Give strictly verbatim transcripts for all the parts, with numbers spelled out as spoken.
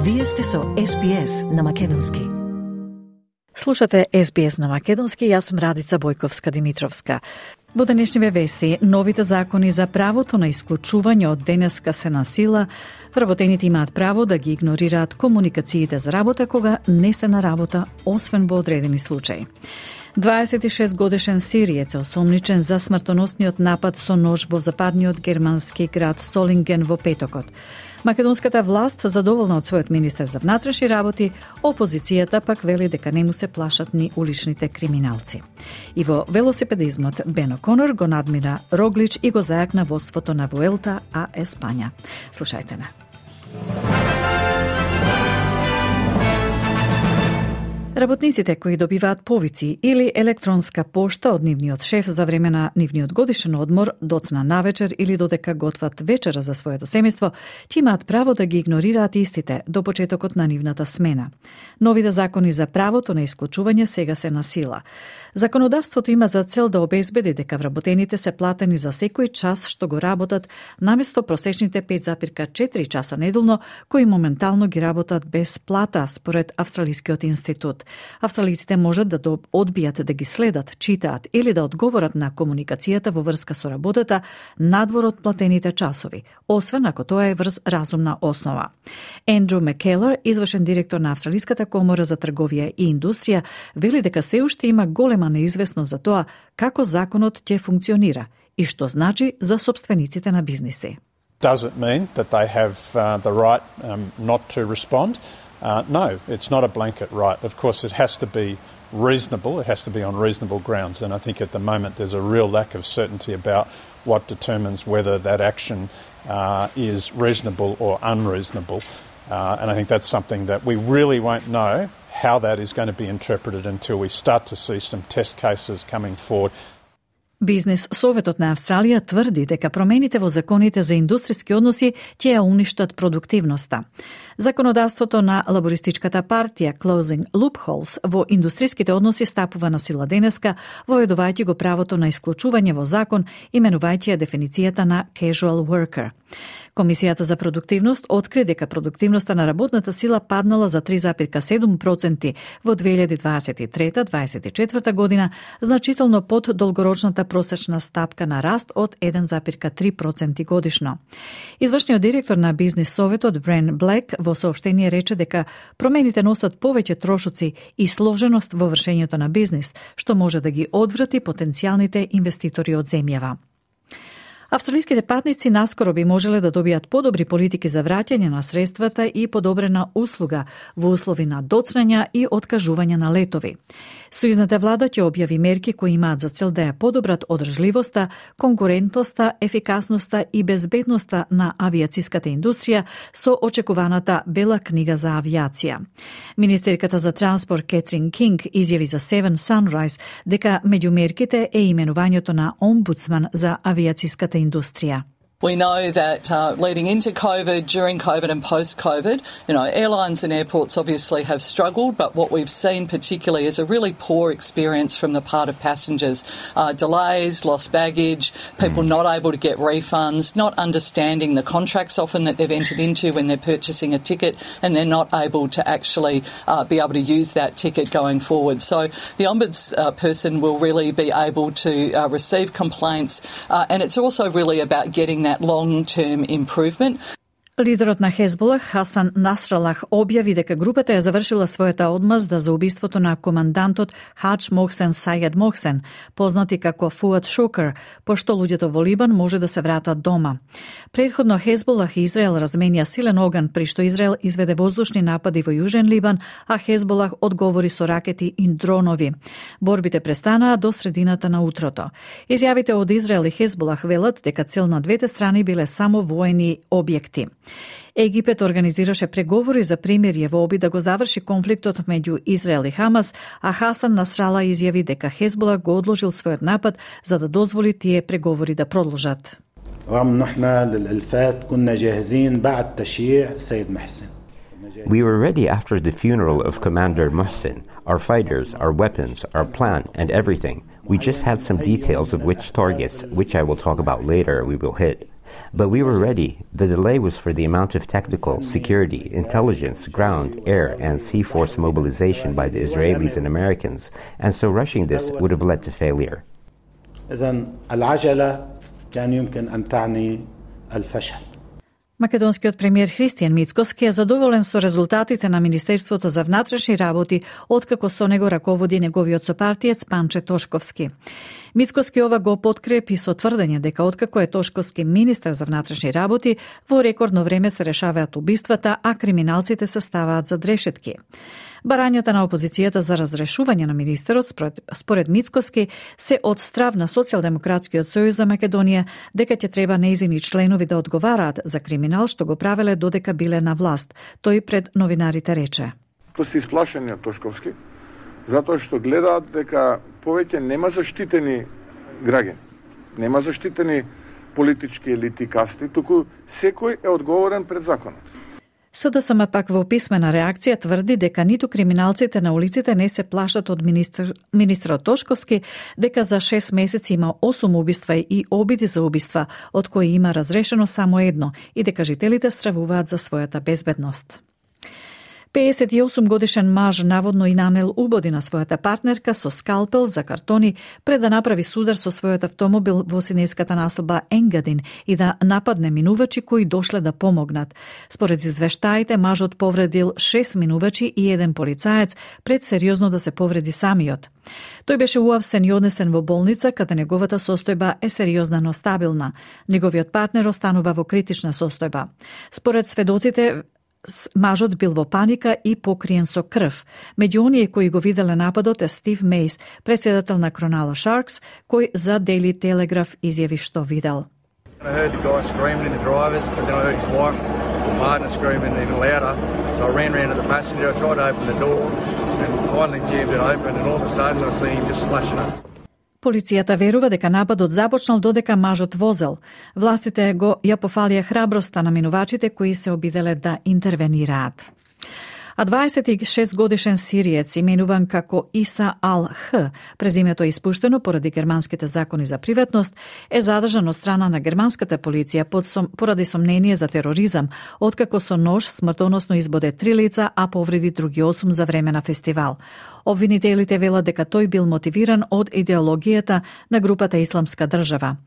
Вие сте со Ес Би Ес на Македонски. Слушате Ес Би Ес на Македонски, јас сум Радица Бојковска-Димитровска. Во денешниве вести, новите закони за правото на исклучување од денеска се на сила. Вработените имаат право да ги игнорираат комуникациите за работа кога не се на работа, освен во одредени случаи. дваесет и шест годишен сириец е осомничен за смртоносниот напад со нож во западниот германски град Солинген во петокот. Македонската власт задоволна од својот министер за внатрешни работи, опозицијата пак вели дека не му се плашат ни уличните криминалци. И во велосипедизмот Бен О'Конор го надмира Роглич и го зајакна водството на Вуелта а Еспања. Слушајте на. Работниците кои добиваат повици или електронска пошта од нивниот шеф за време на нивниот годишен одмор, доцна навечер или додека готват вечера за своето семејство, ќе имаат право да ги игнорираат истите до почетокот на нивната смена. Новите закони за правото на исклучување сега се на сила. Законодавството има за цел да обезбеди дека вработените се платени за секој час што го работат, наместо просечните пет запирка четири часа неделно, кои моментално ги работат без плата, според Австралискиот институт. Австралиците можат да одбијат да ги следат, читаат или да одговорат на комуникацијата во врска со работата надвор од платените часови, освен ако тоа е врз разумна основа. Ендрю Маккелер, извршен директор на Австралиската комора за трговија и индустрија, вели дека се уште има голема неизвестност за тоа како законот ќе функционира и што значи за собствениците на бизниси. Does it mean that they have uh, the right um, not to respond? Uh, no, it's not a blanket right. Of course, it has to be reasonable. It has to be on reasonable grounds. And I think at the moment there's a real lack of certainty about what determines whether that action uh, is reasonable or unreasonable. Uh, and I think that's something that we really won't know how that is going to be interpreted until we start to see some test cases coming forward. Бизнес Советот на Австралија тврди дека промените во законите за индустријски односи ќе ја уништат продуктивноста. Законодавството на лабористичката партија Closing Loopholes во индустријските односи стапува на сила денеска, воедувајќи го правото на исклучување во закон, именувајќи ја дефиницијата на casual worker. Комисијата за продуктивност откри дека продуктивноста на работната сила паднала за три запирка седум проценти во две илјади дваесет и трета - дваесет и четврта година, значително под долгорочната просечна стапка на раст од еден запирка три проценти годишно. Извршниот директор на Бизнес Советот Брен Блек во соопштение рече дека промените носат повеќе трошоци и сложеност во вршењето на бизнис, што може да ги одврати потенцијалните инвеститори од земјава. Австралиските патници наскоро би можеле да добијат подобри политики за враќање на средствата и подобрена услуга во услови на доцнања и откажување на летови. Сојузната влада ќе објави мерки кои имаат за цел да ја подобрат одржливоста, конкурентноста, ефикасноста и безбедноста на авијациската индустрија со очекуваната бела книга за авијација. Министерката за транспорт Кетрин Кинг изјави за Seven Sunrise дека меѓу мерките е именувањето на омбудсман за авијациската индустрија. We know that uh, leading into COVID, during COVID and post-COVID, you know, airlines and airports obviously have struggled, but what we've seen particularly is a really poor experience from the part of passengers. Uh, delays, lost baggage, people not able to get refunds, not understanding the contracts often that they've entered into when they're purchasing a ticket, and they're not able to actually uh, be able to use that ticket going forward. So the ombudsperson uh, will really be able to uh, receive complaints, uh, and it's also really about getting that long-term improvement. Лидерот на Хезболах Хасан Насралах објави дека групата ја завршила својата одмазда за убиството на командантот Хадж Мохсен Сајед Мохсен, познати како Фуад Шукер, пошто луѓето во Либан може да се вратат дома. Предходно Хезболах и Израел разменија силен оган, при што Израел изведе воздушни напади во Јужен Либан, а Хезболах одговори со ракети и дронови. Борбите престанаа до средината на утрото. Изјавите од Израел и Хезболах велат дека цел на двете страни биле само воени објекти. Египет организираше преговори за примирје во обид да го заврши конфликтот меѓу Израел и Хамас, а Хасан Насрала изјави дека Хезбола го одложил својот напад за да дозволи тие преговори да продолжат. We were ready after the funeral of Commander Mohsen. Our fighters, our weapons, our plan, and everything. We just had some details of which targets, which I will talk about later, we will hit. But we were ready. The delay was for the amount of technical, security, intelligence, ground, air, and sea force mobilization by the Israelis and Americans, and so rushing this would have led to failure. إذن العجلة كان يمكن أن تعني الفشل. Македонскиот премиер Христијан Мицкоски е задоволен со резултатите на Министерството за внатрешни работи, откако со него раководи неговиот сопартиец Панче Тошковски. Мицкоски ова го подкрепи со тврдење дека откако е Тошковски министар за внатрешни работи, во рекордно време се решаваат убиствата, а криминалците се ставаат за решетки. Барањата на опозицијата за разрешување на министерот, според, според Мицкоски, се од страв на Социјалдемократскиот сојуз за Македонија, дека ќе треба нејзини членови да одговараат за криминал што го правеле додека биле на власт. Тој пред новинарите рече: Тоа се исплашени од Тошковски, затоа што гледаат дека повеќе нема заштитени граѓани, нема заштитени политички елити, касти, туку секој е одговорен пред законот. СДСМ пак во писмена реакција тврди дека ниту криминалците на улиците не се плашат од министр, министрот Тошковски, дека за шест месеци има осум убиства и обиди за убиства, од кои има разрешено само едно, и дека жителите стравуваат за својата безбедност. пеесет и осум годишен маж наводно и нанел убоди на својата партнерка со скалпел за картони пред да направи судар со својот автомобил во синеската населба Енгадин и да нападне минувачи кои дошле да помогнат. Според извештаите, мажот повредил шест минувачи и еден полицаец пред сериозно да се повреди самиот. Тој беше уапсен и однесен во болница, каде неговата состојба е сериозна, но стабилна. Неговиот партнер останува во критична состојба. Според сведоците, мажот бил во паника и покриен со крв. Меѓу оние кои го виделе нападот е Стив Мейс, председател на Cronulla Sharks, кој за Daily Telegraph изјави што видел. I heard the guy screaming in the drivers, but then I heard his wife, or partner, screaming even louder. So I ran round to the passenger, I tried to open the door, and finally jammed it open, and all of a sudden I see him just slashing up. Полицијата верува дека нападот започнал додека мажот возел. Властите го ја пофалија храброста на минувачите кои се обиделе да интервенираат. А дваесет и шест годишен сириец, именуван како Иса Ал-Х, презимето е испуштено поради германските закони за приватност, е задржан од страна на германската полиција под сом, поради сомнение за тероризам, откако со нож смртоносно избоде три лица, а повреди други осум за време на фестивал. Обвинителите велат дека тој бил мотивиран од идеологијата на групата Исламска држава.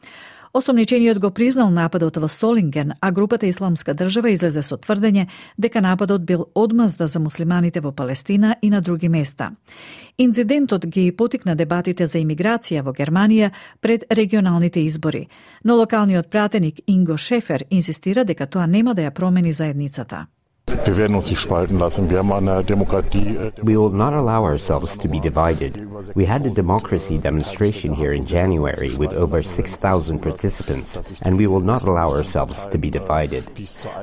Осомничениот го признал нападот во Солинген, а групата Исламска држава излезе со тврдење дека нападот бил одмазда за муслиманите во Палестина и на други места. Инцидентот ги потикна дебатите за имиграција во Германија пред регионалните избори, но локалниот пратеник Инго Шефер инсистира дека тоа нема да ја промени заедницата. Wir werden uns nicht spalten lassen. Wir haben eine Demokratie. We will not allow ourselves to be divided. We had a democracy demonstration here in January with over six thousand participants, and we will not allow ourselves to be divided.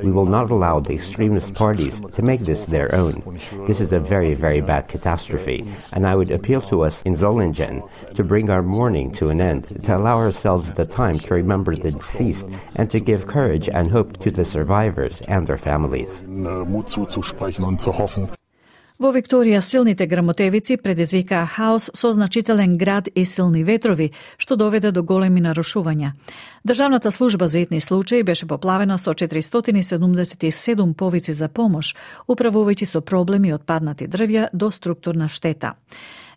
We will not allow the extremist parties to make this their own. This is a very, very bad catastrophe, and I would appeal to us in Solingen to bring our mourning to an end, to allow ourselves the time to remember the deceased, and to give courage and hope to the survivors and their families. Mut zuzusprechen und zu hoffen. Во Викторија силните грмотевици предизвикаа хаос со значителен град и силни ветрови, што доведе до големи нарушувања. Државната служба за итни случаи беше поплавена со четиристотини и седумдесет и седум повици за помош, управувајќи со проблеми од паднати дрвја до структурна штета.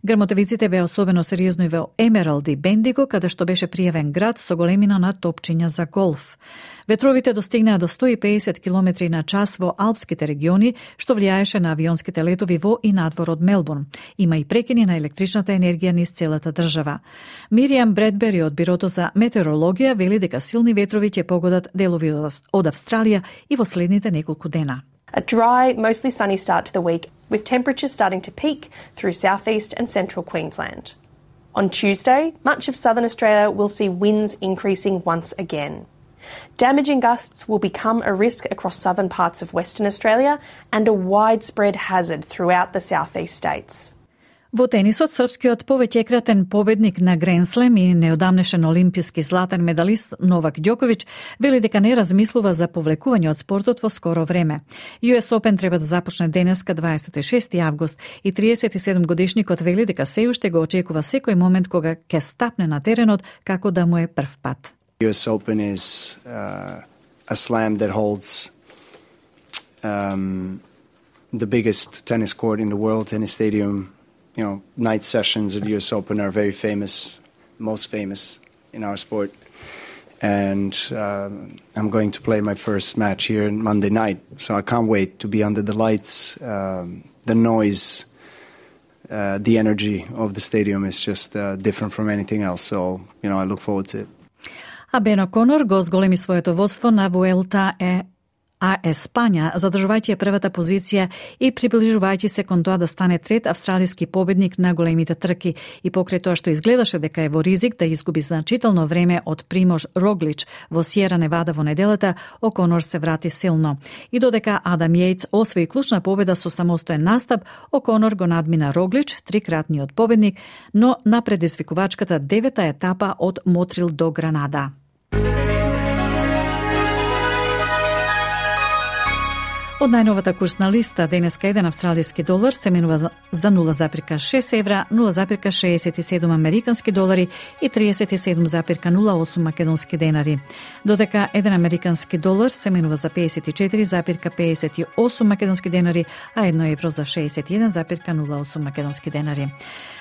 Грмотевиците беа особено сериозни во Емералд и Бендиго, каде што беше пријавен град со големина на топчиња за голф. Ветровите достигнаа до сто и пеесет километри на час во алпските региони, што влијаеше на авионските летови во и надвор од Мелбурн. Има и прекини на електричната енергија низ целата држава. Миријам Бредбери од Бирото за метеорологија вели дека силни ветрови ќе погодат делови од Австралија и во следните неколку дена. A dry, mostly sunny start to the week, with temperatures starting to peak through southeast and central Queensland. On Tuesday, much of southern Australia will see winds increasing once again. Damaging gusts will become a risk across southern parts of Western Australia and a widespread hazard throughout the southeast states. Во тенисот, српскиот повеќекратен победник на Гренслем и неодамнешен олимписки златен медалист Новак Ѓоковиќ вели дека не размислува за повлекување од спортот во скоро време. Ю Ес Open треба да започне денеска дваесет и шести август и триесет и седум годишникот вели дека се уште го очекува секој момент кога ќе стапне на теренот како да му е прв пат. U S Open is uh, a slam that holds um, the biggest tennis court in the world, tennis stadium. You know, night sessions at U S Open are very famous, most famous in our sport. And uh, I'm going to play my first match here on Monday night, so I can't wait to be under the lights. Um, the noise, uh, the energy of the stadium is just uh, different from anything else. So, you know, I look forward to it. А Бен О'Конор го зголеми своето водство на Вуелта е а Еспања, задржувајќи ја првата позиција и приближувајќи се кон тоа да стане трет австралиски победник на големите трки. И покрај тоа што изгледаше дека е во ризик да изгуби значително време од Примош Роглич во Сиера Невада во неделата, О'Конор се врати силно. И додека Адам Јејц освои клучна победа со самостоен настап, О'Конор го надмина Роглич, трикратниот победник, но на предизвикувачката девета етапа од Мотрил до Гранада. Од најновата курсна листа, денеска еден австралиски долар се менува за нула запирка шест евра, нула запирка шеесет и седум американски долари и триесет и седум запирка нула осум македонски денари. Додека еден американски долар се менува за пеесет и четири запирка пеесет и осум македонски денари, а едно евро за шеесет и еден запирка нула осум македонски денари.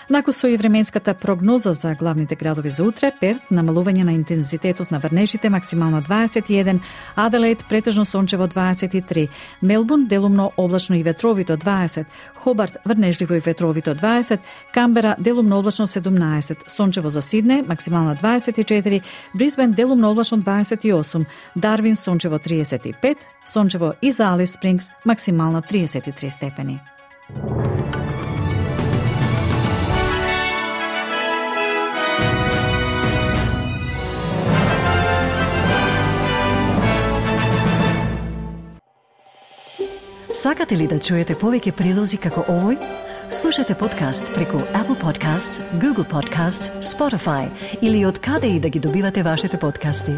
Нако со и временската прогноза за главните градови за утре, Перт намалување на интензитетот на врнежите, максимално дваесет и еден, Аделаид претежно сончево дваесет и три, Мелбурн делумно облачно и ветровито дваесет, Хобарт врнежливо и ветровито дваесет, Камбера делумно облачно седумнаесет, сончево за Сидне, максимално дваесет и четири, Брисбен делумно облачно дваесет и осум, Дарвин сончево триесет и пет, сончево и за Алис Спрингс, максимално триесет и три степени. Сакате ли да чуете повеќе прилози како овој? Слушате подкаст преку Apple Podcasts, Google Podcasts, Spotify или од каде и да ги добивате вашите подкасти.